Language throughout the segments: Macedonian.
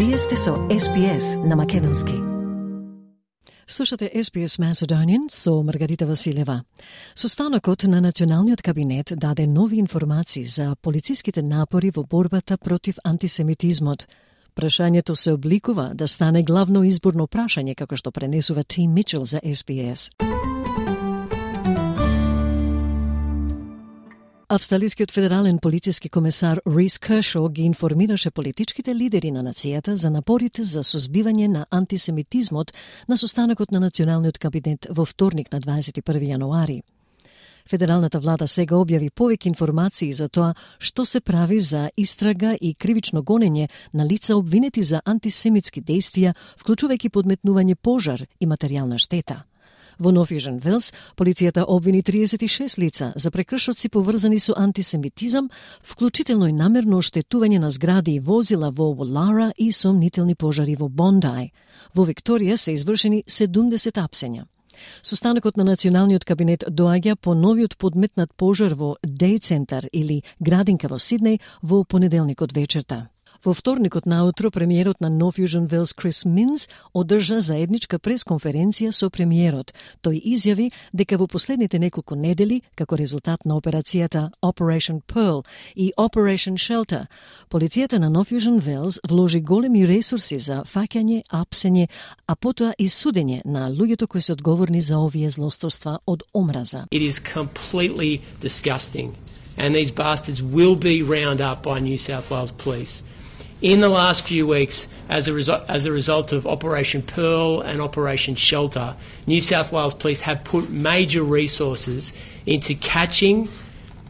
Вие сте со SPS на македонски. Слушате SPS Macedonian со Маргарита Василева. Состанокот на Националниот кабинет даде нови информации за полициските напори во борбата против антисемитизмот. Прашањето се обликува да стане главно изборно прашање, како што пренесува Тим Мичел за SPS. Австралискиот федерален полициски комесар Рис Кершо ги информираше политичките лидери на нацијата за напорите за сузбивање на антисемитизмот на состанокот на Националниот кабинет во вторник на 21 јануари. Федералната влада сега објави повеќе информации за тоа што се прави за истрага и кривично гонење на лица обвинети за антисемитски дејствија, вклучувајќи подметнување пожар и материјална штета. Во Нов Јужен Велс, полицијата обвини 36 лица за прекршоци поврзани со антисемитизам, вклучително и намерно оштетување на згради и возила во Волара и сомнителни пожари во Бондај. Во Викторија се извршени 70 апсења. Состанокот на Националниот кабинет доаѓа по новиот подметнат пожар во Дей центар или градинка во Сиднеј во понеделникот вечерта. Во вторникот наутро премиерот на Нов Јужен Велс Крис Минс одржа заедничка пресконференција со премиерот. Тој изјави дека во последните неколку недели, како резултат на операцијата Operation Pearl и Operation Shelter, полицијата на Нов Јужен Велс вложи големи ресурси за фаќање, апсење, а потоа и судење на луѓето кои се одговорни за овие злосторства од омраза. It is completely disgusting, and these bastards will be round up by New South Wales Police. In the last few weeks, as a result of Operation Pearl and Operation Shelter, New South Wales Police have put major resources into catching,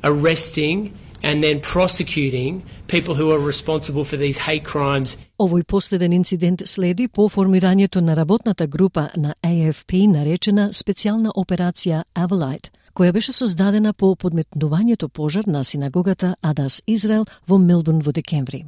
arresting and then prosecuting people who are responsible for these hate crimes. Овој последен инцидент следи по формирањето на работната група на AFP наречена специјална операција Avalite, која беше создадена по подметнувањето пожар на синагогата Адас Израел во Мелбурн во декември.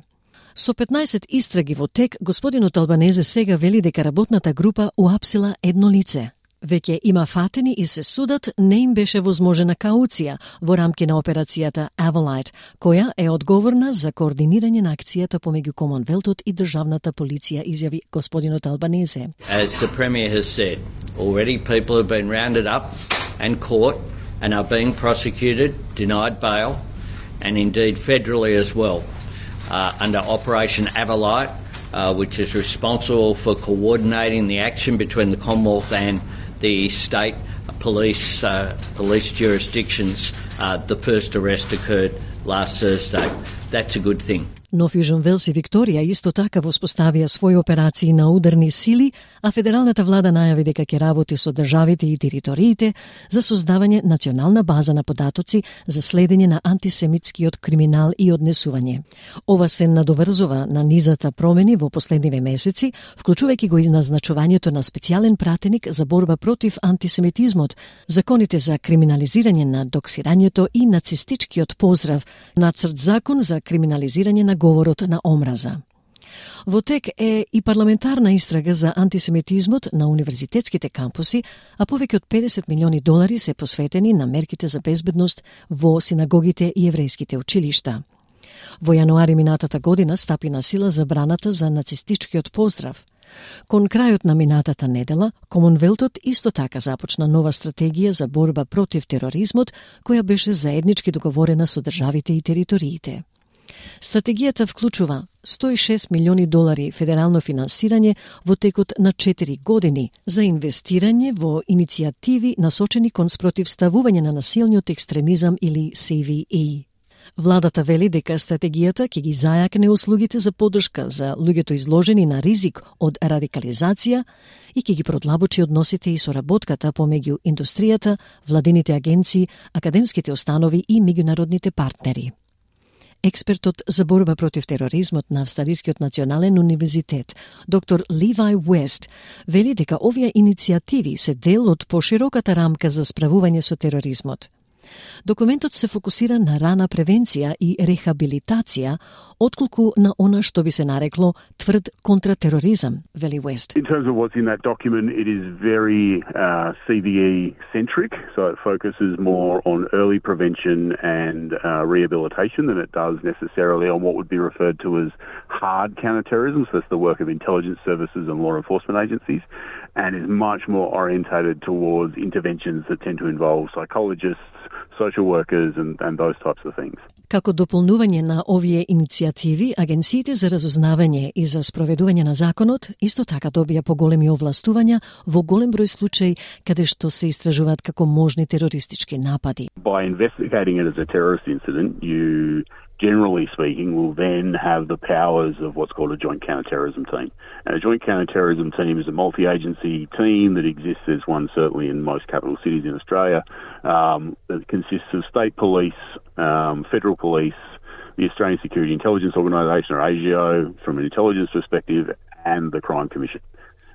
Со 15 истраги во тек, господинот Албанезе сега вели дека работната група уапсила едно лице. Веќе има фатени и се судат, не им беше возможена кауција во рамки на операцијата Avalite, која е одговорна за координирање на акцијата помеѓу Комонвелтот и државната полиција, изјави господинот Албанезе. As the Premier has said, already people have been rounded up and caught and are being prosecuted, denied bail, and indeed federally as well. Under Operation Avalite, which is responsible for coordinating the action between the Commonwealth and the state police jurisdictions. The first arrest occurred last Thursday. That's a good thing. Нов Јужен Велс и Викторија исто така воспоставија своји операции на ударни сили, а федералната влада најави дека ќе работи со државите и териториите за создавање национална база на податоци за следење на антисемитскиот криминал и однесување. Ова се надоврзува на низата промени во последниве месеци, вклучувајќи го назначувањето на специјален пратеник за борба против антисемитизмот, законите за криминализирање на доксирањето и нацистичкиот поздрав, нацрт закон за криминализирање на говорот на омраза. Во тек е и парламентарна истрага за антисемитизмот на универзитетските кампуси, а повеќе од 50 милиони долари се посветени на мерките за безбедност во синагогите и еврејските училишта. Во јануари минатата година стапи на сила забраната за нацистичкиот поздрав. Кон крајот на минатата недела, Комонвелтот исто така започна нова стратегија за борба против тероризмот, која беше заеднички договорена со државите и териториите. Стратегијата вклучува 106 милиони долари федерално финансирање во текот на 4 години за инвестирање во иницијативи насочени кон спротивставување на насилниот екстремизам или CVE. Владата вели дека стратегијата ќе ги зајакне услугите за поддршка за луѓето изложени на ризик од радикализација и ќе ги продлабочи односите и соработката помеѓу индустријата, владините агенции, академските установи и меѓународните партнери. Експертот за борба против тероризмот на Австралискиот национален универзитет, доктор Ливај Уест, вели дека овие иницијативи се дел од пошироката рамка за справување со тероризмот. Документот се фокусира на рана превенција и рехабилитација, отколку на она што би се нарекло тврд контратероризам, вели Уест. In terms of what's in that document, it is very CVE-centric, so it focuses more on early prevention and rehabilitation than it does necessarily on what would be referred to as hard counterterrorism, so that's the work of intelligence services and law enforcement agencies, and is much more orientated towards interventions that tend to involve psychologists, social workers and those types of things. Како дополнување на овие иницијативи, агенциите за разузнавање и за спроведување на законот исто така добија поголеми овластувања во голем број случаи каде што се истражуваат како можни терористички напади. By investigating it as a terrorist incident, you generally speaking will then have the powers of what's called a joint counterterrorism team. And a joint counterterrorism team is a multi-agency team that exists. There's one certainly in most capital cities in Australia that consists of state police, federal police, the Australian Security Intelligence Organisation, or ASIO, from an intelligence perspective, and the Crime Commission.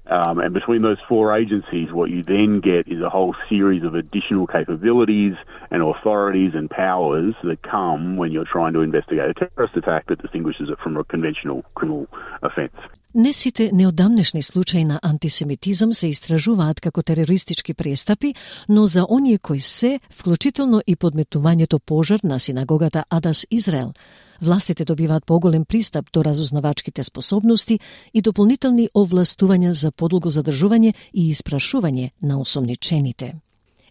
And between those four agencies, what you then get is a whole series of additional capabilities and authorities and powers that come when you're trying to investigate a terrorist attack that distinguishes it from a conventional criminal offence. Не сите неодамнешни случаи на антисемитизам се истражуваат како терористички престапи, но за оние кои се, вклучително и подметнувањето пожар на синагогата Адас Израел, властите добиваат поголем пристап до разузнавачките способности и дополнителни овластувања за подолго задржување и испрашување на осомничените.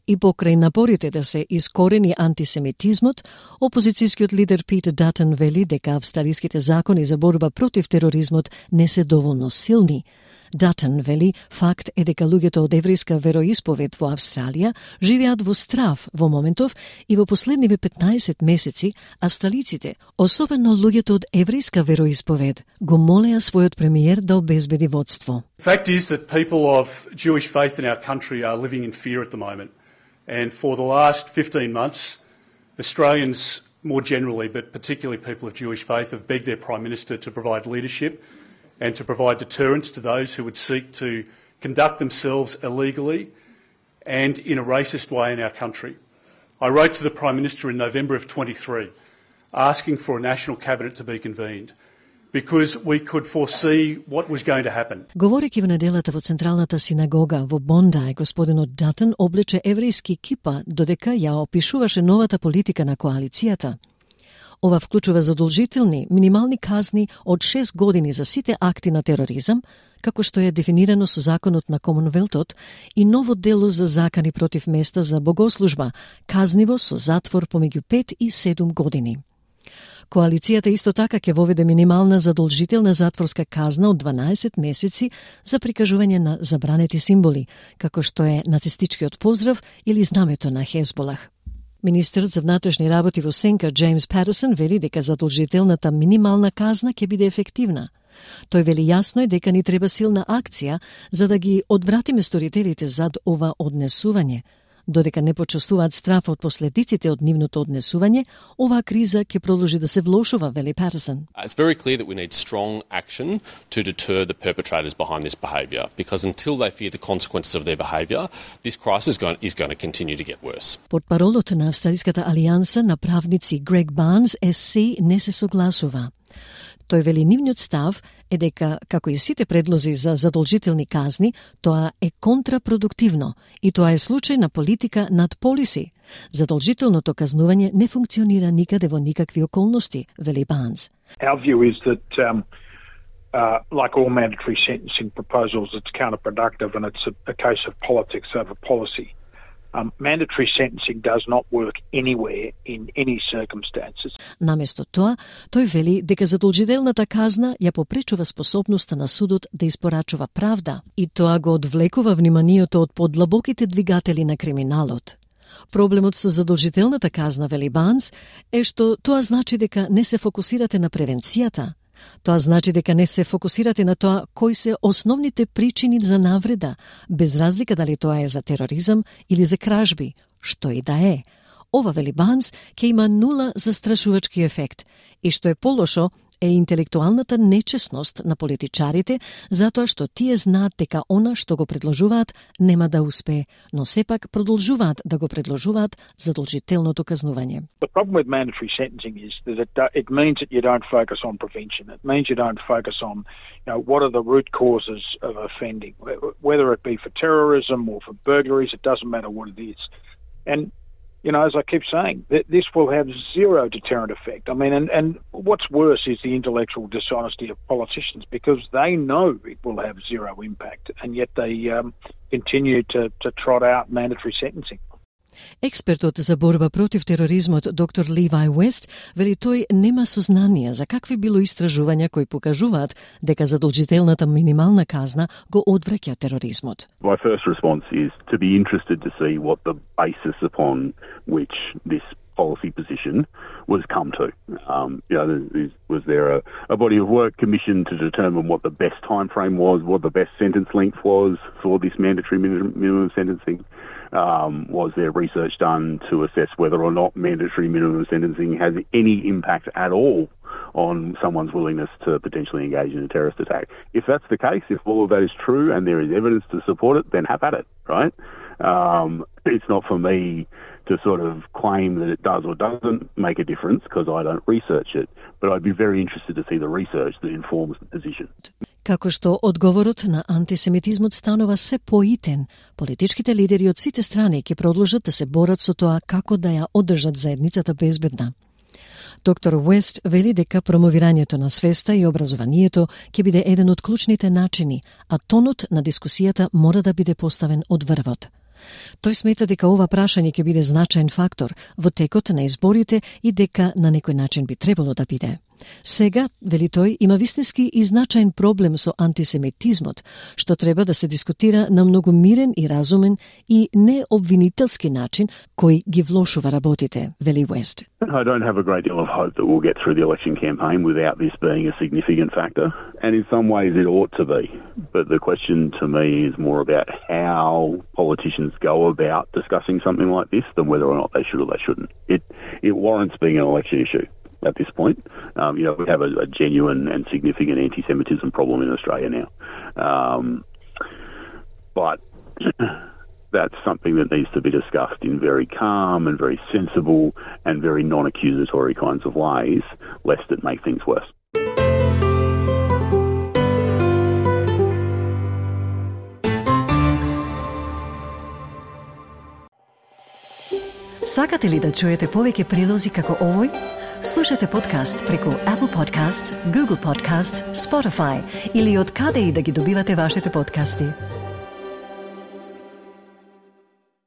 И покрај напорите да се искорени антисемитизмот, опозицијскиот лидер Пит Датон вели дека австралиските закони за борба против тероризмот не се доволно силни. Датон вели факт е дека луѓето од еврејска вероисповед во Австралија живеат во страв во моментов и во последниве 15 месеци австралиците, особено луѓето од еврејска вероисповед, го молеа својот премиер да обезбеди водство. Fact is that people of Jewish faith in our country are living in fear at the moment. And for the last 15 months, Australians more generally, but particularly people of Jewish faith, have begged their Prime Minister to provide leadership and to provide deterrence to those who would seek to conduct themselves illegally and in a racist way in our country. I wrote to the Prime Minister in November of 23 asking for a national cabinet to be convened, because we could foresee what was going to happen. Говорејќи во неделата во Централната синагога во Бондај, господинот Датон облече еврејски кипа додека ја опишуваше новата политика на коалицијата. Ова вклучува задолжителни минимални казни од 6 години за сите акти на тероризам, како што е дефинирано со законот на Комонвелтот, и ново дело за закани против места за богослужба, казниво со затвор помеѓу 5 и 7 години. Коалицијата исто така ќе воведе минимална задолжителна затворска казна од 12 месеци за прикажување на забранети символи, како што е нацистичкиот поздрав или знамето на Хезболах. Министерот за внатрешни работи во Сенка Джеймс Патерсон вели дека задолжителната минимална казна ќе биде ефективна. Тој вели јасно е дека ни треба силна акција за да ги одвратиме сторителите зад ова однесување. Додека не почувствуваат страф од последиците од нивното однесување, оваа криза ќе продолжи да се влошува, вели Патерсон. It's very clear that we need strong action to deter the perpetrators behind this behaviour, because until they fear the consequences of their behaviour, this crisis is going to continue to get worse. Портпаролот на Австралиската алијанса на правници Грег Барнс СС не се согласува. Тој вели нивниот став е дека, како и сите предлози за задолжителни казни, тоа е контрапродуктивно и тоа е случај на политика над полиси. Задолжителното казнување не функционира никаде во никакви околности, вели Барнс. Our view is that, like all mandatory sentencing proposals, it's counterproductive and it's a case of politics over policy. Mandatory sentencing does not work anywhere in any circumstances. Наместо тоа, тој вели дека задолжителната казна ја попречува способноста на судот да испорачува правда и тоа го одвлекува вниманието од подлабоките двигатели на криминалот. Проблемот со задолжителната казна, вели Барнс, е што тоа значи дека не се фокусирате на превенцијата. Тоа значи дека не се фокусирате на тоа кои се основните причини за навреда, без разлика дали тоа е за тероризам или за кражби, што и да е. Ова, вели Барнс, ќе има нула застрашувачки ефект и што е полошо, е интелектуалната нечесност на политичарите, затоа што тие знаат дека она што го предложуваат нема да успее, но сепак продолжуваат да го предложуваат задолжителното казнување. The problem with mandatory sentencing is that it means that you don't focus on prevention. It means you don't focus on, what are the root causes of offending, whether it be for terrorism or for burglaries, it doesn't matter what it is. And as I keep saying, this will have zero deterrent effect. I mean, and what's worse is the intellectual dishonesty of politicians, because they know it will have zero impact, and yet they continue to trot out mandatory sentencing. Експертот за борба против тероризмот доктор Ливај Уест вели тој нема сознание за какви било истражувања кои покажуваат дека задолжителната минимална казна го одвраќа тероризмот. My first response is to be interested to see what the basis upon which this policy position was come to. Was there a body of work commissioned to determine what the best time frame was, what the best sentence length was for this mandatory minimum sentencing? Was there research done to assess whether or not mandatory minimum sentencing has any impact at all on someone's willingness to potentially engage in a terrorist attack? If that's the case, if all of that is true and there is evidence to support it, then have at it, right? It's not for me to sort of claim that it does or doesn't make a difference because I don't research it, but I'd be very interested to see the research that informs the position. Како што одговорот на антисемитизмот станува се поитен, политичките лидери од сите страни ќе продолжат да се борат со тоа како да ја одржат заедницата безбедна. Доктор Уест вели дека промовирањето на свеста и образованието ќе биде еден од клучните начини, а тонот на дискусијата мора да биде поставен од врвот. Тој смета дека ова прашање ќе биде значаен фактор во текот на изборите и дека на некој начин би требало да биде. Сега, вели тој, има вистински и значаен проблем со антисемитизмот, што треба да се дискутира на многу мирен и разумен и необвинителски начин кој ги влошува работите, вели Уест. I don't have a great deal of hope that we'll get through the election campaign without this being a significant factor, and in some ways it ought to be. But the question to me is more about how politicians go about discussing something like this than whether or not they should or they shouldn't. It warrants being an election issue at this point. We have a genuine and significant anti-Semitism problem in Australia now. But that's something that needs to be discussed in very calm and very sensible and very non-accusatory kinds of ways, lest it make things worse. Сакате ли да чуете повеќе прилози како овој? Слушате подкаст преку Apple Podcasts, Google Podcasts, Spotify или од каде и да ги добивате вашите подкасти.